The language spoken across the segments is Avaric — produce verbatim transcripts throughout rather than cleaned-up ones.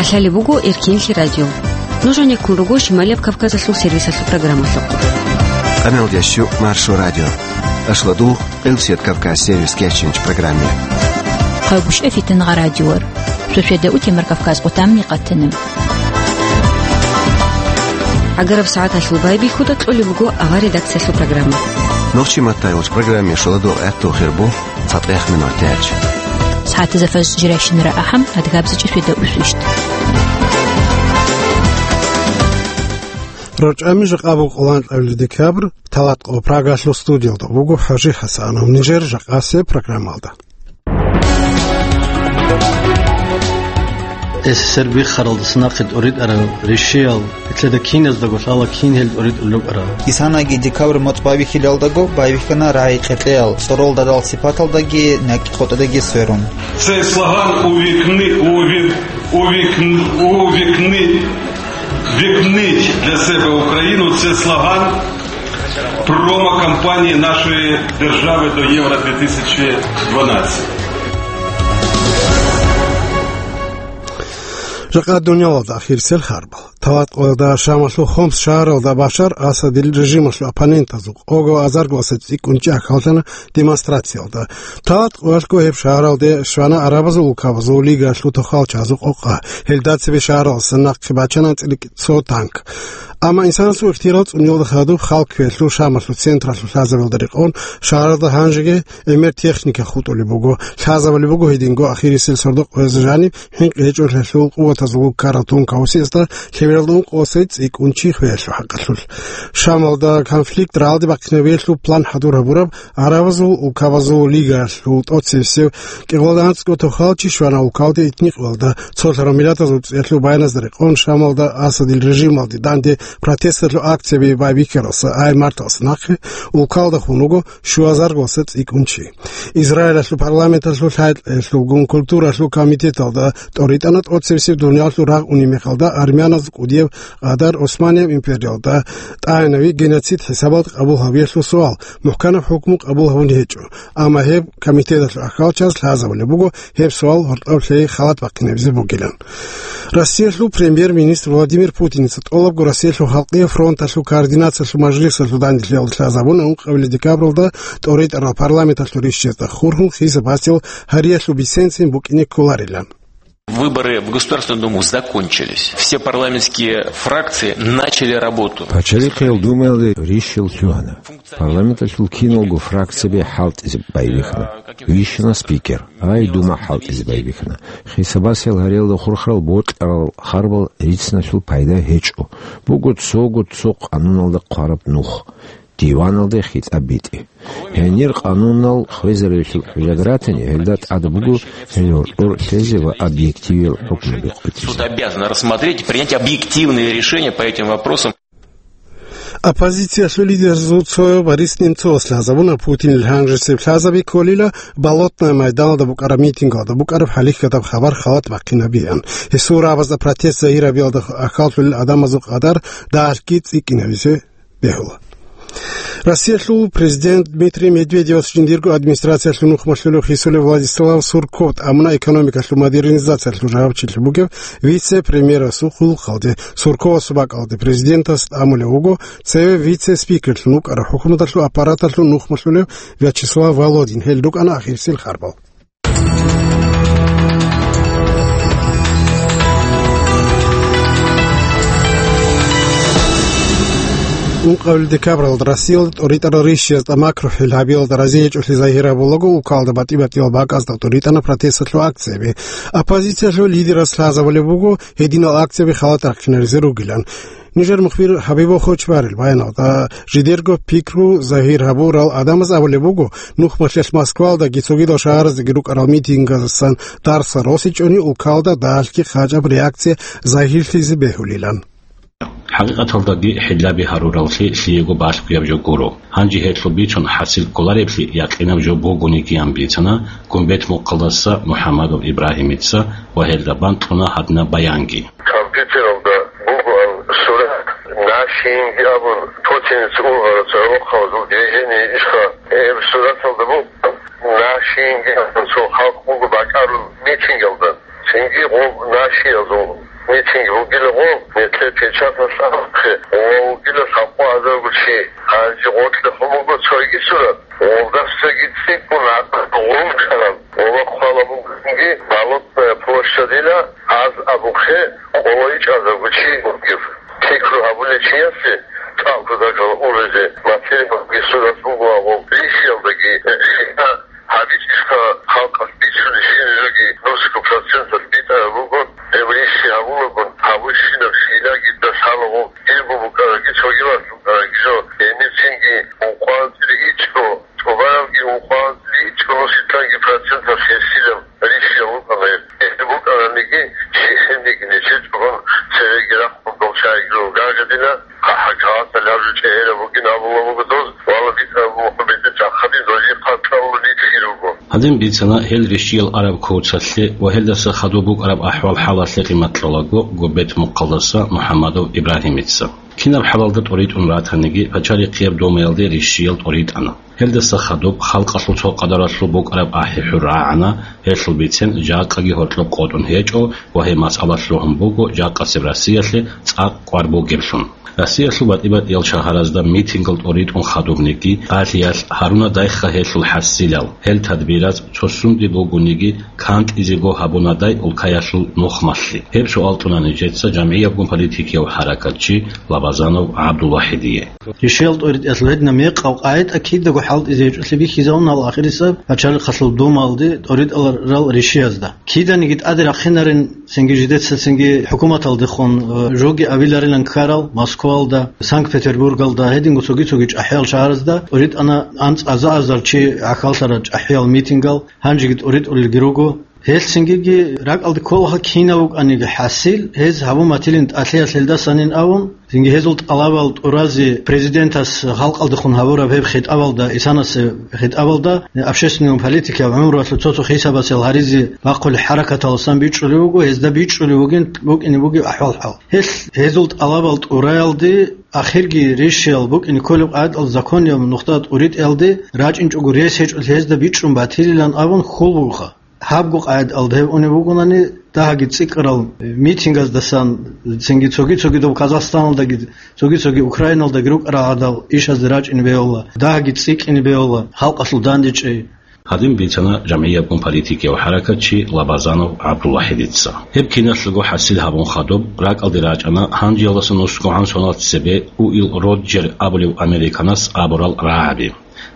Лъалеб буго Эркинлъи радио. Нуж гьанеккун руго Шималияб Кавказалъул сервисалъул программалъухъ. Къамел ящу Маршо радио. Ашладул Къилсият Кавказ сервис кечинч программе. Къагушев Фитнагъа радиор. Шошеда утемар Кавказ къутамни къатана. Агараб сагӀаталъул байбихьуда кьолеб буго ава редакциялъул программа. Нохчи маттайвач программе шоладул гӀатту хирбу. ЦатӀехни мартиач. СагӀатазда фажр жирайщинара ахӀам, адгабзичӀи шведа усвищт. РорчӀами жакъа буго къолан кьавли декабрь, талат къо Прагалъул студиялда буго ХӀажи ХӀасанов. Нижер жакъасе программалда. СССР биххаралдаса нахъе тӀоритӀарал ришиял, итлъеда киназдаго лъала кин гьел тӀоритӀулел рукӀарал. Исанаги декабрь моцӀ байбихьилалдаго байбихьана рагӀи-къеркьеял, цӀоролдадал сипаталдаги накӀкӀ-къотӀадаги сверун. Цей слоган увікни, увік, увікн, увікни, вікніть для себе Україну. Це слоган промо-кампанії нашої держави до Євро дві тисячі дванадцять. Жакъа дунялалда ахирисел харбал. Талат къоялда Шамалъул Хомс шагьаралда Башар Асадил режималъул оппонентазул къого азарго аса цӀикӀкӀунчӀи ахӀаллъана демонстрациялда. Талат къоялъго гьеб шагьаралде щвана Арабазул улкабазул лигаялъул тохалчазул къокъа. Гьелда цебе шагьаралдаса нахъе бачана цӀиликӀ цо танк. Амма инсанасул ихтияр цӀуниялда хадуб хал кквелъул Шамалъул централъул лъазабалда рекъон шагьаралда гьанжеги гӀемер техника хутӀулеб буго. Лъазабулеб буго гьединго ахирисел сордо-къоязда жаниб хӀинкъи гьечӀолъиялъул къуватазул ккарал тункаусиязда лъебералда ункъо аса цӀикӀкӀунчи хвеялъул хӀакъалъулъ. Шамалда конфликт рагӀалде бахъинабиялъул план хӀадур гьабураб Арабазул улкабазул лигаялъул тӀоцебесеб кӀикъоялда анцӀго тохалчи щвана улкалде итникъоялда, цолъарал миллатазул цӀиялъул баяназда рекъон Шамалда Асадил режималде данде протесталъул акцияби байбихьаралса ай марталъ нахъе улкалда хун вуго щуазарго аса цӀикӀкӀунчи. Израилалъул парламенталъул лъай-лъайгун культуралъул комитеталда тӀоритӀана тӀоцебесеб дуниялалъул рагъ унеб мехалда армяназ кӀудияб къадар Османияб империялда тӀагӀинави геноцид хӀисабалда къабул гьавиялъул суал мухӀканаб хӀукму къабул гьабун гьечӀо, амма гьеб комитеталъул ахӀалчаз лъазабулеб буго гьеб суал гьоркьоб лъей халат бахъинабизе бугилан. Россиялъул премьер-министр Владимир Путиница тӀолабго Россиялъул халкъиял фронталъул координациялъул мажлисалъул данделъиялда лъазабуна ункъабилеб декабралда тӀоритӀарал парламенталъул ришшезда хурхун хисабасел гьариялъул бисенцин букӀине кколарилан. Выборы в Государственную Думу закончились. Все парламентские фракции начали работу. Пачалихъиял Думаялде ришшел лъугьана. Парламенталъул киналго фракцияби хӀалтӀизе байбихьана. Вищана спикер. Ай, Дума хӀалтӀизе байбихьана. Хисабасел гьариялда хурхарал бокьарал харбал рицналъул пайда гьечӀо. Буго цого цо къануналда хъвараб нух. Диваналде хитӀаб битӀи. Гьенир къанунал хвезаревлъул хӀужат ратани, гьелда тӀад буго гьел гьоркьор лъезе ва объективиял хӀукму бикъулъизе. Суд обязан рассмотреть и принять объективные решения по этим вопросам. Оппозициялъул лидерзул цо Борис Немцовас лъазабуна Путинил гьанжесеб лъазаби кколила Болотное майданалда букӀараб митингалда букӀараб хӀалихьадаб хабар халат бахъинабиан. Гьесул рагӀабазда протест загьирабиялда ахӀаллъулел гӀадамазул къадар дагьалъги цӀикӀкӀинабизе бегьула. Россиялъул президент Дмитрий Медведевас жиндирго администрациялъул нухмалъулев хисулев Владислав Сурков тӀамуна экономикалъул модернизациялъул жавабчилъи бугев вице-премьерасул хъулухъалде. Сурковасул бакӀалде президентас тӀамулев вуго цеве вице-спикерлъун вукӀарав хӀукуматалъул аппараталъул нухмалъулев Вячеслав Володин. Гьел рукӀана ахирисел харбал. Ункъабил декабралда Россиялда тӀоритӀарал ришшияз тӀамак рухӀил гьабиялда разиячӀулъи загьир гьабулаго, улкалда батӀи-батӀиял бакӀазда тӀоритӀана протесталъул акцияби. Оппозициялъул лидерас лъазабулеб буго гьединал акцияби халат рахъинаризе ругилан. Нижер мухбир Хабибов Хочбарил баяналда, жидерго пикру загьир гьабурал гӀадамаз абулеб буго, нухмалъелъ Москвалдаги цогидал шагьараздаги рукӀарал митингазасан дарсал росичӀони, улкалда дагьалъги хъачӀаб реакция загьирлъизе бегьулилан. ХӀакъикъаталдаги хӀиллаби гьарураллъи лъиего балъгояб жо гуро. Гьанже гьелъул бицун хӀасил кколареблъи якъинаб жо бугониги ан бицана Гумбет-Мухъалдаса МухӀамадов Ибрагьимица ва гьелда бан кьуна гьадинаб баянги. Компьютералда бугоан сурат, Нашинги абун, Путинец ургъарацо гӀолохъабазул движение ишха. Гьеб сураталда буго, Нашинги абун цо халкъ буго бакӀарул митингалда. Цинги гъоб нашиязул митинг бугила гъо, метле печаталъ абухъе, ва вугила лъабкъо азарго чи, гьанже гъоркье хъумуго цойги сурат, гъолдасаги цӀикӀкӀун гӀакъуба гъуркараб, ва хъвала бугинги Болотная площадила аз абухъе къоло ичӀазарго чи бугев. Пикру гьабулев чиясе цӀакъго дагьал урезе материалги сурат буго гъоб ришиялдаги, гьеб ГьабичӀищха халкъалъ бичӀчӀулеб щиб жоги нусго проценталъ битӀараб буго, гьеб рищи гьабулагун, гьабурщинаб щилаги дасалаго, дирго букӀараги, цогидалъ букӀараги жо, гьениб цинги ункъоялда ичӀго, тӀубарабги ункъоялда ичӀго нусилъанги проценталъ гьесилаб рищи гьабукӀана гьеб. Гьеб букӀараниги, щихӀениги нечечӀогун цереги рахъун дол чагӀиги ругагъидила. Гьагъалдалъ гьаб жо чӀегӀераб бугин абулеб буго дос, вала битӀараб мухӀун бетӀер чӀахъадин, дожи хъатӀаллъун нилъги руго. Гьадин бицана гьел рищиял араб куцалъе ва гьелдаса хадуб букӀараб ахӀвал-хӀалалъе къимат кьолаго Губет-Мухъалдаса МухӀаммадов Ибрагьимица. Кинаб хӀалалда тӀоритӀун ратаниги, Пачалихъияб Думаялде рищиял тӀоритӀана. Гьелдаса хадуб халкъалъул цо къадаралъул букӀараб ахӀи-хӀур рагӀана, гьелъул бицен жакъаги гьоркьоб къотӀун гьечӀо ва гьеб масъала лъугьун буго жакъасеб Россиялъе цӀакъ кӀвар бугеблъун. Россиялъул батӀи-батӀиял шагьаразда митингал тӀоритӀун хадубниги, Алиялъ, Гьарунадайха гьелъул хӀасилал, гьел тадбираз цо сунде бугониги кантӀизего гьабунадай улкаялъул нухмалъи? Гьеб суал кьуна нижеца жамгӀиябгун политикияв хӀаракатчи Лабазанов ГӀабдулвахӀидие. Ришиял тӀоритӀиялъул гьединаб мекъаб къагӀида кидаго хӀалтӀизе гьечӀолъи бихьизабуна гьал ахирисеб пачалихъалъул Думаялде тӀоритӀарал ришиязда. Киданиги тӀаде рахъинарин, цинги жидеца цинги хӀукуматалдехун, э, жоги авиларилан ккарал Москваялда, Санкт-Петербургалда, гьединго цоги-цоги чӀахӀиял шагьаразда тӀоритӀана анцӀаза-азар чи гӀахьаллъарал чӀахӀиял митингал, гьанжеги тӀоритӀулелги руго. Гьелъ цингиги ракӀалде кколаха кинав вукӀаниги хӀасил, гьез гьабун батилин тӀалъиялъ гьелдасанин абун, цинги гьезул тӀалабал тӀуразе президентас халкъалдехун гьабураб гьеб хитӀабалда, исанасе хитӀабалда, общественный политикияв гӀумруялъул цо-цо хисабасел гьаризе бахъулеб хӀаракаталасан бичӀчӀулев вуго, гьезда бичӀчӀулев вугин, букӀине бугеб ахӀвал-хӀал. Гьелъ гьезул тӀалабал тӀураялде, ахирги ришиял букӀине кколеб къагӀидал законияб нухда тӀуритӀиялде рачӀинчӀого рес гьечӀолъи гьезда бичӀчӀун батилилан абун хьул бугоха. Гьабго къагӀидаялда гьеб унеб бугонани, дагьаги цӀикӀкӀарал митингаздасан, цинги цоги-цогидаб Казахстаналдаги, цоги-цоги Украиналдаги рукӀарал гӀадал ишазде рачӀине бегьула, дагьаги цӀикӀкӀине бегьула, халкъалъул дандечӀей. Гьадин бицана жамгӀиябгун политикияв хӀаракатчи Лабазанов ГӀабдулвахӀидица. Гьеб киналъго хӀасил гьабун хадуб, ракӀалде рачӀана гьанжеялдаса нусгогӀан соналъ цебе Уилл Роджер абулев американас абурал рагӀаби.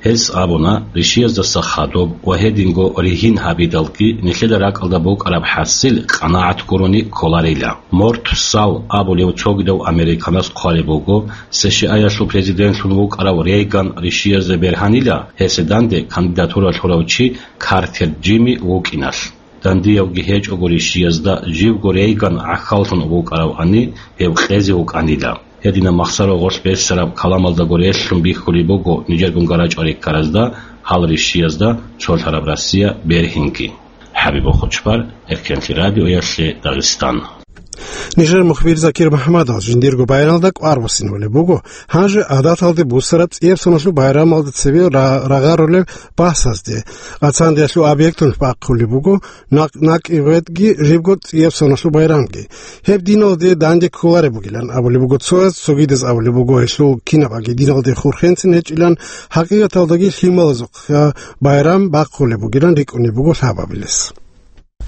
Гьес абуна, ришияздаса хадуб ва гьединго ригьин гьабидалги нилъеда ракӀалда букӀараб хӀасил къанагӀат гурони кколарила. Морт Сал абулев цогидав американас хъвалеб буго, С Ш А-ялъул президентлъун вукӀарав Рейган ришиязда бергьанила, гьесда данде кандидатура лъурав чи Картер Джимми вукӀиналъ. Дандиявги гьечӀого ришиязда живго Рейган гӀахьаллъун вукӀаравани, гьев къезе вукӀанила. Гьединаб махсаро гъорлъ бесараб каламалдаго релълъун бихьулеб буго нижергун гарачӀвариккаразда гьал ришиязда цолъараб Россия бергьинги. ХӀабиб Хучбар, Эркенлъи радиоялъе, Дагъистан. Нижер мухбир Закир МухӀамадов жиндирго байрамалда кӀвар босинабулеб буго, гьанже гӀадаталде бусараб цӀияб соналъул байрамалда цебе ра-, рагъарулеб бахӀсазде. Гъацандеялъул объекталъ бахъулеб буго накъ-, накъибатги жибго цӀияб соналъул байрамги. Гьеб диналде данде кколареб бугилан абулеб буго цояз, цогидаз абулеб буго гьелъул кинабаги диналде хурхенцин гьечӀилан, хӀакъикъаталдаги лъималазухъа байрам бахъулеб бугилан рикӀкӀунеб буго лъабабилес.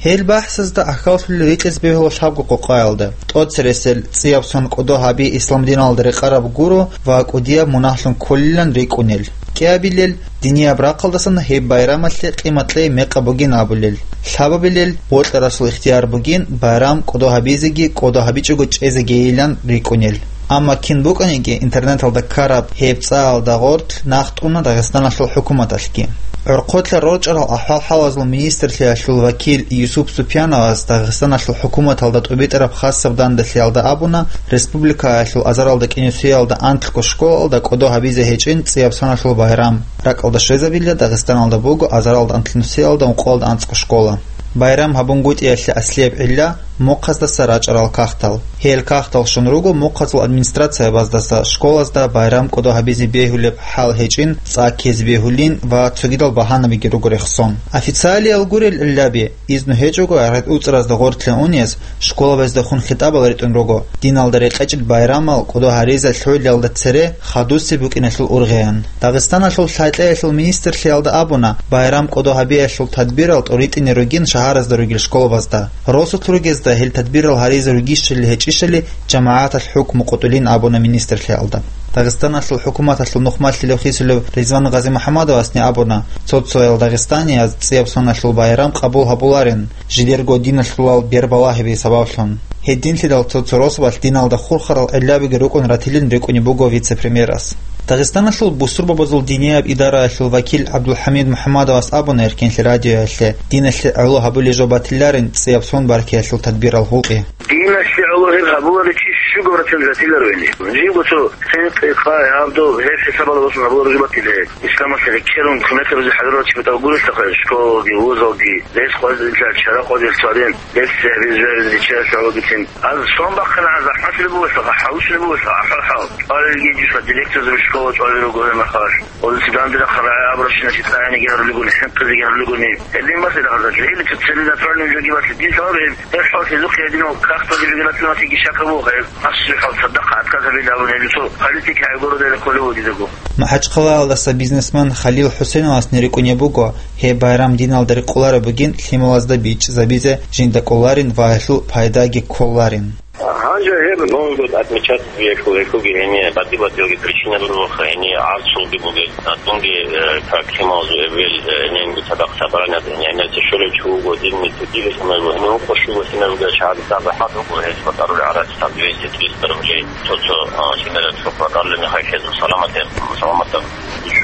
Гьел бахӀсазда гӀахьаллъулел рикӀкӀине бегьула лъабго къокъаялда, тӀоцересел цӀияб сон кӀодо гьаби ислам диналда рекъараб гуро ва кӀудияб мунагьлъун кколилан рикӀкӀунел. КӀиабилел, динияб рахъалдасан гьеб байрамалъе къимат кьей мекъаб бугин абулел. Лъабабилел, бокьарасул ихтияр бугин байрам кӀодо гьабизеги кӀодо гьабичӀого чӀезегийилан рикӀкӀунел. Амма кин букӀаниги интернеталда ккараб гьеб цӀаялда гъоркь нахъ тӀуна Дагъистаналъул хӀукуматалъги. ГӀурхъулъа рорчӀарал ахӀвал-хӀалазул министрлъиялъул вакил Юсуп Супьяновас Дагъистаналъул хӀукуматалда тӀубитӀараб хасаб данделъиялда абуна, республикаялъул азаралда кӀинусиялда анкьго школалда кӀодо гьабизе гьечӀин цӀияб соналъул байрам. РакӀалда щвезабила Дагъистаналда буго азаралда анкьнусиялда ункъоялда анцӀго школа. Байрам гьабунгутӀиялъе аслияб гӀилла Мухъаздаса рачӀарал кагътал. Гьел кагътал щун руго мухъазул администрациябаздаса школазда байрам кӀодо гьабизе бегьулеб хӀал гьечӀин, цӀа ккезе бегьулин ва цогидал багьанабиги руго рехсон. Официалиял гурел гӀиллаби, изну гьечӀого гӀаргӀид уцӀразда гъоркье унез, школабаздехун хитӀабал ритӀун руго, диналда рекъечӀел байрамал кӀодо гьаризе лъугӀиналда цере хадусеб букӀиналъул ургъиян. Дагъистаналъул лъай-кьеялъул министрлъиялда абуна, байрам кӀодо гьабиялъул тадбирал тӀоритӀине ругин шагьаразда ругел школабазда. Росулъ ругезда гьел тадбирал гьаризе ругищали гьечӀищали жамагӀаталъ хӀукму къотӀулин абуна министрлъиялда. Дагъистаналъул хӀукуматалъул нухмалъилев хисулев Ризван Гъазимухьаммадовасни абуна, цо-цоял дагъистанияз цӀияб соналъул байрам къабул гьабуларин, жидерго диналъулал бербалагьиби сабаблъун. Гьединлъидал цо-цо росабалъ диналда хурхарал гӀиллабиги рукӀун ратилин рикӀкӀунеб буго вице-премьерас. Дагъистаналъул бусурбабазул динияб идараялъул вакил ГӀабдулхӀамид МухӀаммадовас абуна Эркенлъи радиоялъе, диналъе гӀоло гьабулей жо батиларин цӀияб сон баркиялъул тадбирал гьукъи. Диналъе гӀоло гьеб гьабуларев чи щуго ратилин ратиларо гьениб. Жибго цо хӀинкъи, къай, гьабдоб, гьеб хӀисабалда босун гьабулареб жо батила гьеб. Исламалъе рекерун кумекабизе хӀадурлъарал чи батӀа гурищ, школалги, вузалги, рес къвазилъа, чара къвазилъ цадин, рес гьабизе, гьабизе риччаялъ гьабулеб бугин. Аз сон бахъана, захӀматаб бугелъул, хӀалушлъи бугелъул, ахӀвал-хӀал. ЧӀвалелги жуса директорзаби школа чӀвалел руго гьеб мехалъ. Гьезул данде рахъарал рагӀи абурабщинал цӀаяниги гьарулел ругони, хӀинкъизеги гьарулел ругони. Гьедин базе рагъаза, жегьилица целенаправленный жоги базе дин лъаларо гьеб, гьеб хӀалалъ гьезухъе гьединал кагъталги жегилатилатиги щакаб буго гьеб. Асухъал цадахъ отказ гьабилеб абун гьеле цо политика гӀайгуралда рехулев вугидего. МахӀачхъалаялдаса бизнесмен Халил ХӀусеновасни рикӀкӀунеб буго, гьеб байрам диналда рекъолареб бугин лъималазда бичӀчӀизабизе жинда кӀоларин ва гьелъул пайдаги кколарин. Гьанже гьеб Новый год отмечать гьелъул гьелъулги гьение батӀи-батӀиялги причина буго, гьение гӀарцулги бугел, дунги, э, как лъималазул эбел, э, гьениб цадахъ собраниялда гьениб гӀемерисеб щолев чи вуго, динни цогидал гьениб вукъо щуго лъималазул шагьадат захӀмат буго, гьез батӀарулел гӀарац там двести-триста рублей, цо-цо, а, лъимерал цо батӀарулел мехалъ гьезул саламатаб, саламатаб. Иш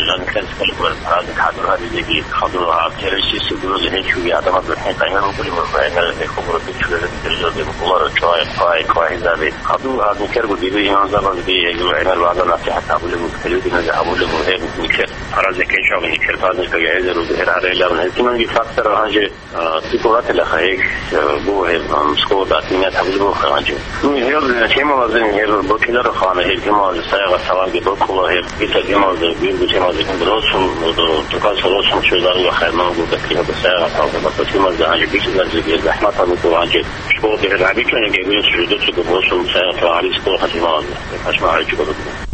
жаниб кколеб буго, разник хадур гьабизеги, хадур гьаб терроризмалъе гуроза гьечӀоги, гӀадамазда гьеб къайгъа букӀулеб буго, гьеб гьекъон гуреб бичӀчӀулареб дирижерзаби кколаро чӀвай, хъвай, хъвай гьезаби. Хадур гьаб никерго дибе имамзабазги, гьезул гӀемер вагӀза-насихӀат гьабулеб буго, телевидениеги гьабулеб буго, гьеб никер. Праздник гьечӀого, никер праздникалги гьезул гьерарелаб. Гьединабги фактор гьанже А, цӀикӀкӀун ратилаха гьеб, э, буго гьеб, ам, школада отменять гьабулеб буго гьанже. Ну, гьеб, э, темалазе гьеб бокьиларо хана, гьеб темалазе сагӀат саламги бокьула гьеб, дица темалазе, биргу темалазе росун, э, тукаса росун чӀезарила хай мангу гьеб сагӀат саламги бокьула темалазе гьанже бикьизаризе гьеб захӀмат гьабулеб гьанже. Школаде гьеб гьабичӀони гьеб гьесулъ жидецаго босун сагӀат саламги школа хатималазе.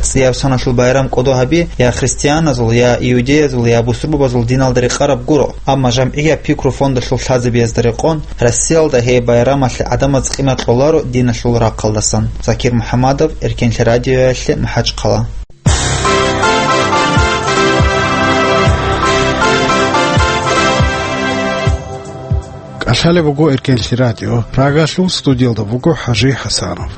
ЦӀияб соналъул байрам кӀодо гьаби я христианазул, я иудеязул, я бусурбабазул диналда рекъараб гуро, амма жамгӀияб пикру фондалъул лъазабиязда рекъон, Россиялда гьеб байрамалъе гӀадамаз къимат кьоларо диналъул рахъалдасан. Закир МухӀаммадов, Эркенлъи радиоялъе, МахӀачхъала. КӀалъалеб буго Эркенлъи радио. Прагалъул студиялда буго ХӀажи ХӀасанов.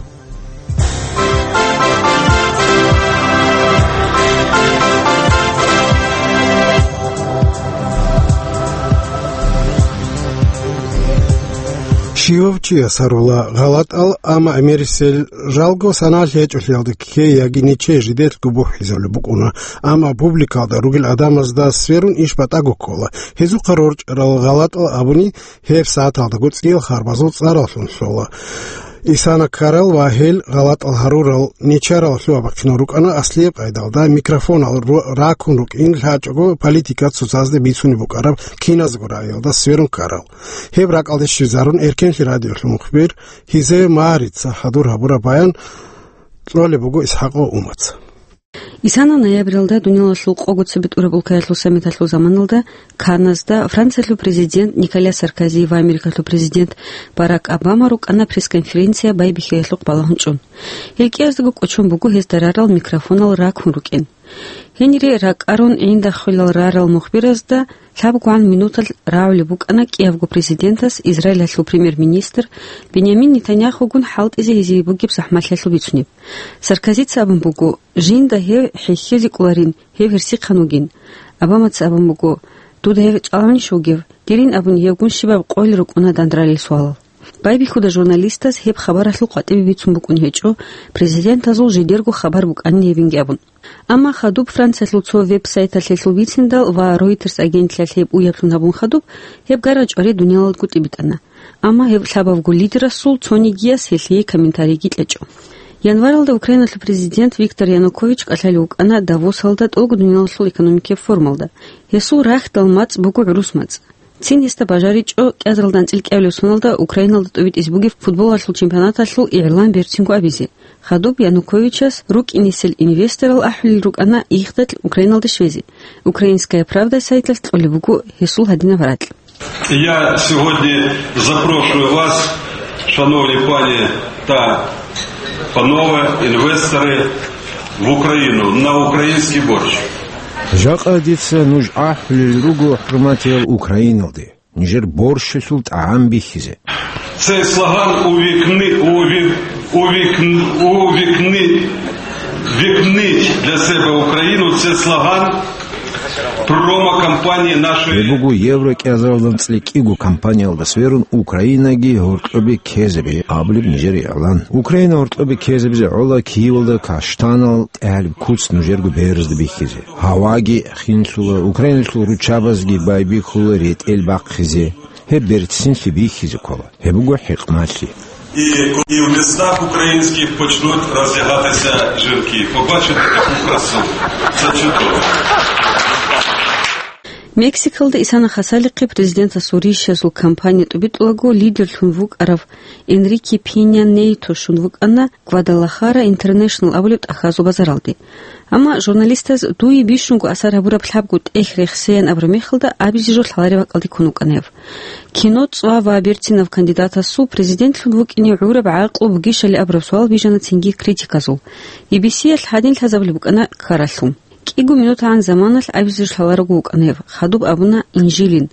Щивав чияс гьарула гъалатӀал, амма гӀемерисел жалго санал гьечӀолъиялда ккей яги нечей жидерго бухӀизабулеб букӀуна, амма публикалда ругел гӀадамазда сверун иш батӀаго ккола. Гьезухъа рорчӀарал гъалатӀал абуни, гьеб сагӀаталдаго цӀиял харбазул цӀараллъун лъола. Исана ккарал ва гьел гъалатӀал гьарурал нечарал лъугьа-бахъинал рукӀана аслияб къайдалда микрофонал ро-, ракун рукӀин лъачӀого политика цоцазда бицунеб букӀараб киназго рагӀиялда сверун ккарал. Гьеб ракӀалде щвезарун Эркенлъи радиолъул мухбир Гьизея Марица хӀадур гьабураб баян кьолеб буго ИсхӀакъов Умаца. Исана ноябралда дуниялалъул къого цебетӀураб улкаялъул саммиталъул заманалда Канназда Франциялъул президент Николя Саркози ва Америкалъул президент Барак Обама рукӀана пресс-конференция байбихьиялъухъ балагьун чӀун. Гьел кӀияздаго кӀочон буго гьезда рарал микрофонал ракун рукӀин. Гьенире ракӀарун гӀинда хвелал рарал мухбиразда лъабгогӀан минуталъ рагӀулеб букӀана кӀиябго президентас Израилалъул премьер-министр Бенямин Нетаньяхугун хӀалтӀизе гьезие бугеб захӀмалъиялъул бицунеб. Саркозица абун буго, жинда гьев хӀехьезе кӀоларин, гьев гьерсихъан вугин. Обамаца абун буго, дуда гьев чӀалгӀанищ вугев? Дирин абун гьевгун щибаб къойил рукӀуна дандралил суалал. Байбихьуда журналистаз гьеб хабаралъул къватӀибе бицун букӀун гьечӀо, президентазул жидерго хабар букӀанин гьебинги абун. Амма хадуб Франциялъул цо веб-сайталъ гьелъул бициндал ва Reuters агентлъиялъ гьеб уяблъун гьабун хадуб, гьеб гара-чӀвари дуниялалдаго тӀибитӀана. Амма гьеб лъабабго лидерасул цонигияс гьелъие комментарийги кьечӀо. Январалда Украиналъул президент Виктор Янукович кӀалъалев вукӀана Давосалда тӀолго дуниялалъул экономикияб форумалда. Гьесул рахьдал мацӀ буго гӀурус мацӀ. Цин гьесда бажаричӀо кӀиазаралда анцӀила кӀиабилеб соналда Украиналда тӀобитӀизе бугеб футболалъул чемпионаталъул игӀлан берцинго абизе. Хадуб Януковичас рукӀинесел инвесторал ахӀулел рукӀана ихдал Украиналде щвезе. «Украинская правда» сайталъ кьолеб буго гьесул гьадинаб ракь. Я сьогодні запрошую вас, шановні пані та панове, інвестори, в Україну на український борщ. Жакъа дица нуж ахӀулел руго, хӀурматиял, Украиналде нижер борщалъул тӀагӀам бихьизе. Цей слоган увікни, уві-, увікн-, увікни, вікніть для себе Україну. Це слоган промо-кампанії нашої. Гьеб буго Евро кӀиазаралда анцӀила кӀиго кампаниялдаса верун Украинаги гьоркьобе ккезабе абулеб нижер игӀлан. Украина гьоркьобе ккезабизе гӀола Киевалда каштанал тӀагӀараб куц нужерго беразда бихьизе. Гьаваги хинлъула, Украиналъул руччабазги байбихьула ретӀел бахъизе. Гьеб берцинлъи бихьизе ккола. Гьеб буго хӀикмалъи. І, і в містах українських почнуть роздягатися жінки. Побачите таку красу. Це чудово. Мексикалда Исана Хасалихъе президентасул рищазул кампания тӀубитӀулаго лидерлъун вукӀарав Энрике Пеня Нейто щун вукӀана Гвадалахара Интернешнл абулеб тӀахьазул базаралде. Амма журналистаз дуе бищунго асар гьабураб лъабго тӀехь рехсеян абураб мехалда абизе жо лъалареб бакӀалде ккун вукӀана гьев. Кино цӀва ва берцинав кандидатасул президентлъун вукӀине гӀураб гӀакълу бугищали абураб суал бижана цинги критиказул. Би-би-сиялъ гьадин лъазабулеб букӀана ккаралъул. КӀиго минутагӀан заманалъ абизе жо лъаларого вукӀана гьев, хадуб абуна инжилин.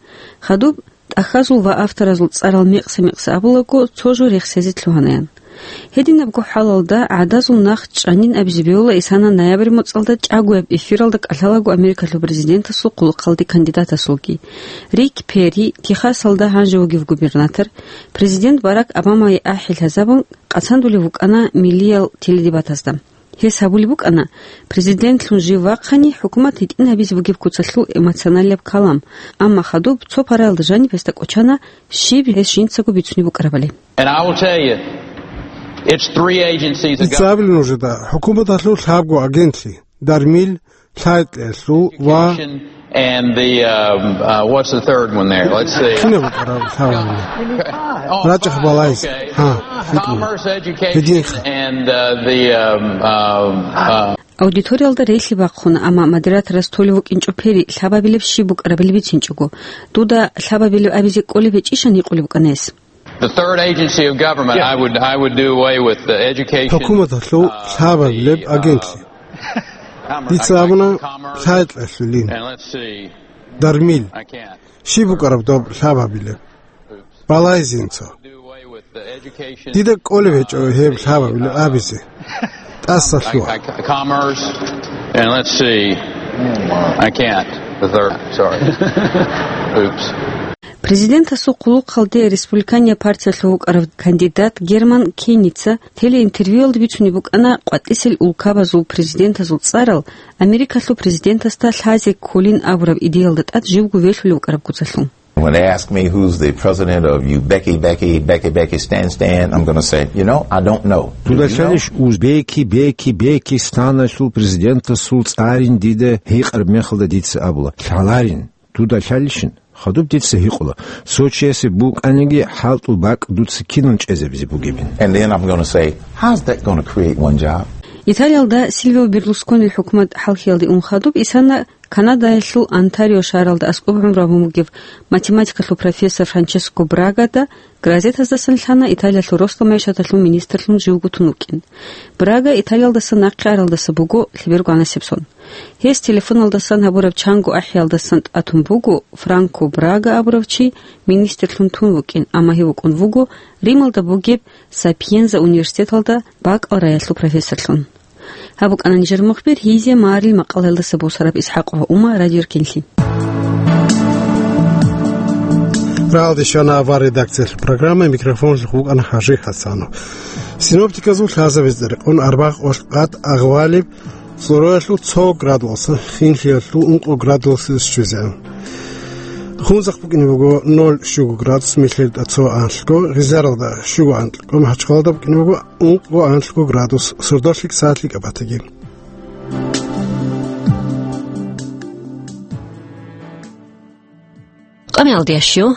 Хадуб тӀахьазул ва авторазул цӀарал мекъса-мекъса абулаго, цо жо рехсезе лъугьанаян. Гьединабго хӀалалда гӀадазул нах чӀанин абизе бегьула Исана ноябрь моцӀалда чӀагояб эфиралда кӀалъалаго Америкалъул президентасул хъулухъалде кандидатасулги. Рик Перри, Техасалда гьанже вугев губернатор, президент Барак Обамае ахӀи лъазабун, къацандулев вукӀана миллиял теледебатазда. Гьес гьабулеб букӀана, президентлъун жив вахъани, хӀукумат гьитӀин гьабизе бугеб куцалъул эмоционалияб калам, амма хадуб цо параялда жаниб гьесда кӀочана щиб гьес жинцаго бицунеб букӀарабали. And I will tell you, it's three agencies of ИцӀабил нужеда хӀукуматалъул лъабго агентлъи: Дармил, Лъайкьелъул ва Education and the, um, uh, what's the third one there? Let's see. Кинаб букӀараб лъабабилеб? Oh, рачӀахъ five, балайз. Okay. Гьа, гьикъун. Commerce, education, гьединха. And, uh, the, um, um, uh, Аудиториялда релълъи бахъуна, амма модераторас толев вукӀинчӀо Перри лъабабилеб щиб букӀарабали бицинчӀого. Дуда лъабабилеб абизе кӀолеб гьечӀищан гьикъулеб букӀана гьес. The third agency of government, yeah. I would, I would do away with the education, ХӀукуматалъул uh, лъабабилеб the, uh, агентлъи. Commerce, дица абуна, Commerce, лъайкьалъулин. And let's see. Дармил. I can't. Щиб букӀараб доб лъабабилеб? Балайзинцо. Дида кӀолеб гьечӀо гьеб лъабабилеб абизе. ТӀаса лъугьа. I, I, Commerce, and let's see. I can't. The third, sorry. Oops. Президентасул хъулухъалде республиканияб партиялъул вукӀарав кандидат Герман Кеница телеинтервьюялда бицунеб букӀана къватӀисел улкабазул президентазул цӀарал Америкалъул президентасда лъазе кколин абураб идеялда тӀад живго велъулев вукӀараб куцалъул. When they ask me who's the president of you, Becky, Becky, Becky, Becky, stand, stand, I'm gonna say, you know, I don't know. Дуда лъалищ уз Беки, Беки, Беки станалъул президентасул цӀарин дида гьикъараб мехалда дица абула, лъаларин. Дуда лъалищин? Хадуб дица гьикъула, цо чиясе букӀаниги хӀалтӀул бакӀ дуца кинан чӀезабизе бугебин. And then I'm gonna say, how's that gonna create one job? Италиялда Сильвио Берлусконил хӀукумат хӀалхьиялде ун хадуб Исана Канадаялъул Онтарио шагьаралда аскӀоб гӀумру гьабун бугев математикалъул профессор Франческо Брагада газетаздасан лъана Италиялъул росдал магӀишаталъул министрлъун живго тун вукӀин. Брага Италиялдаса нахъе аралдаса буго лъеберго гӀанасеб сон. Гьес телефоналдасан гьабураб чанго ахӀиялдасан тӀатун буго, Франко Брага абурав чи министрлъун тун вукӀин, амма гьев вукӀун вуго Рималда бугеб Сапиенза университеталда бакӀалавриаялъул профессорлъун. Гьаб букӀана нижер мухбир Гьизия Марил макъалаялдаса босараб ИсхӀакъ ва Ума радиоркинлъи. Рагьалде щвана авар редакциялъул программа, микрофонлъухъ вукӀана ХӀажи ХӀасанов. Синоптиказул лъазабазда рекъон арбагъ къоялъ къад агъвалеб, цӀуруялъул цо градуялдасан хинлъиялъул ункъо градуялде щвезегӀан. Хунзахъ букӀине буго ноль щуго градус, Михьилда цо анлъго, Гъизаралда щуго анлъго, МахӀачхъалада букӀине буго ункъго анлъго градус, сордолъи сагӀатлъи кӀабатаги. Къамиялдиящу